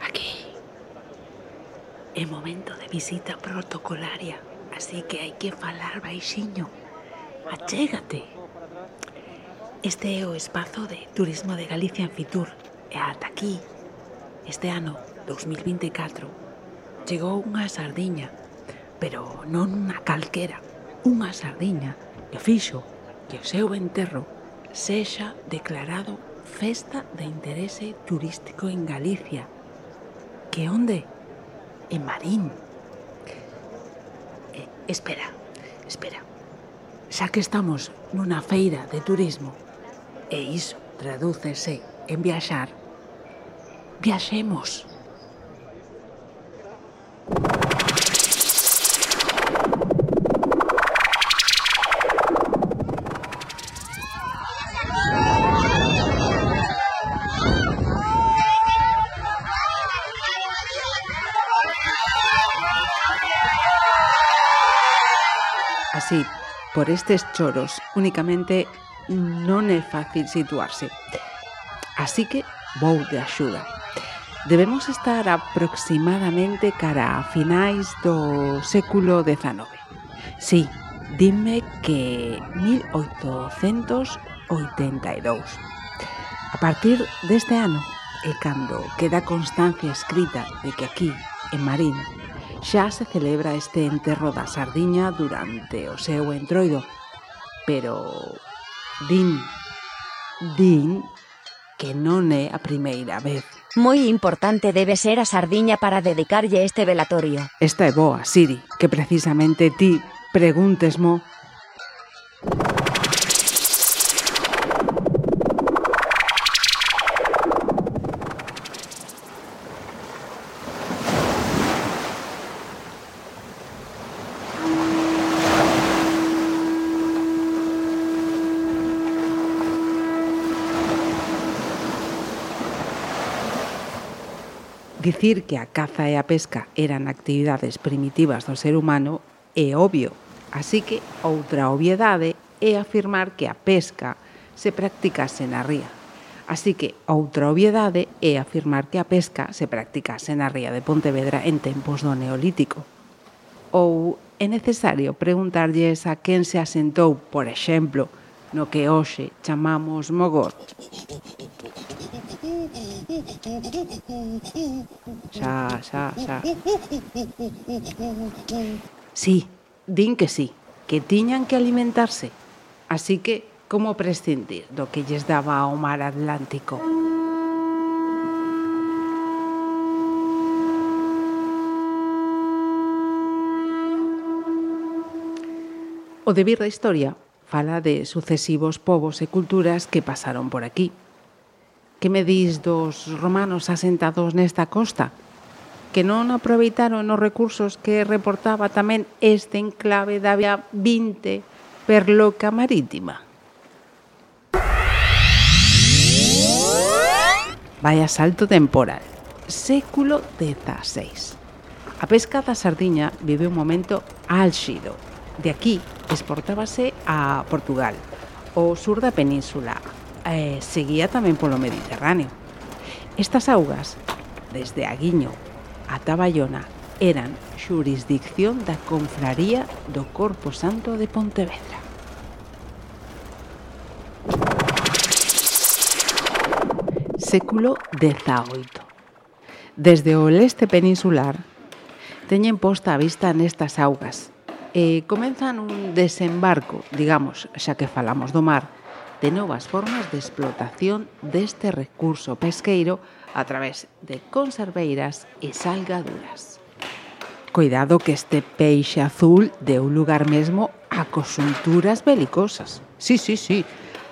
Aquí é momento de visita protocolaria, así que hai que falar baixiño. Achégate. Este é o espazo de Turismo de Galicia en Fitur e ata aquí, este ano 2024, chegou unha sardiña, pero non unha calquera, unha sardiña que fixo que o seu enterro sexa declarado Festa de Interese Turístico en Galicia. Que onde? En Marín. Espera. Xa que estamos nunha feira de turismo e iso tradúcese en viaxar, viaxemos. Así, por estes choros, únicamente non é fácil situarse. Así que vou de axuda. Debemos estar aproximadamente cara a finais do século XIX. Sí, dime que 1882. A partir deste ano é cando queda constancia escrita de que aquí, en Marín, xa se celebra este enterro da sardiña durante o seu entroido. Pero din que non é a primeira vez. Moi importante debe ser a sardiña para dedicarlle este velatorio. Esta é boa, Siri, que precisamente ti pregúntesmo. Dicir que a caza e a pesca eran actividades primitivas do ser humano é obvio, así que outra obviedade é afirmar que a pesca se practicase na ría. Así que outra obviedade é afirmar que a pesca se practicase na ría de Pontevedra en tempos do Neolítico. Ou é necesario preguntarlles a quen se asentou, por exemplo, no que hoxe chamamos Mogor. Xa. Sí, din que sí, que tiñan que alimentarse. Así que, como prescindir do que lles daba ao mar Atlántico? O devir da historia fala de sucesivos povos e culturas que pasaron por aquí. Que me dis dos romanos asentados nesta costa? Que non aproveitaron os recursos que reportaba tamén este enclave da vía 20 perloca marítima. Vaya salto temporal. Século XVI. A pesca da sardiña vive un momento álxido. De aquí exportábase a Portugal, o sur da península, seguía tamén polo Mediterráneo. Estas augas, desde Aguiño ata Bayona, eran xurisdicción da Confraría do Corpo Santo de Pontevedra. Século XVIII. Desde o leste peninsular, teñen posta a vista nestas augas e comenzan un desembarco, digamos, xa que falamos do mar, de novas formas de explotación deste recurso pesqueiro a través de conserveiras e salgaduras. Cuidado que este peixe azul deu lugar mesmo a conxunturas belicosas. Sí,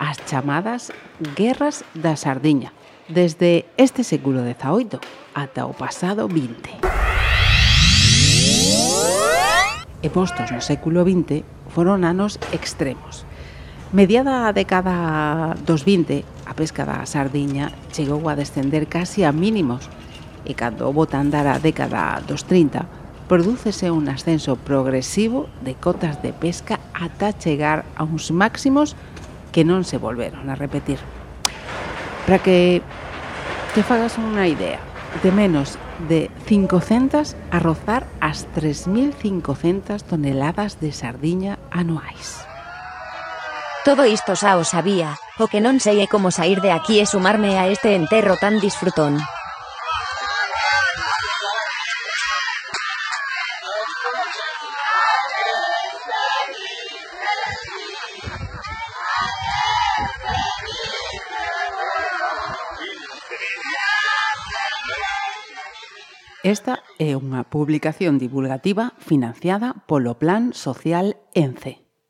as chamadas guerras da sardiña, desde este século XVIII ata o pasado XX. E postos no século XX foron anos extremos. Mediada a década dos 20, a pesca da sardiña chegou a descender casi a mínimos e cando bota a andar a década dos 30, prodúcese un ascenso progresivo de cotas de pesca ata chegar a uns máximos que non se volveron a repetir. Para que te fagas unha idea, de menos de 500 a rozar as 3.500 toneladas de sardiña anuais. Todo isto xa o sabía, o que non sei é como saír de aquí e sumarme a este enterro tan disfrutón. Esta é unha publicación divulgativa financiada polo Plan Social ENCE.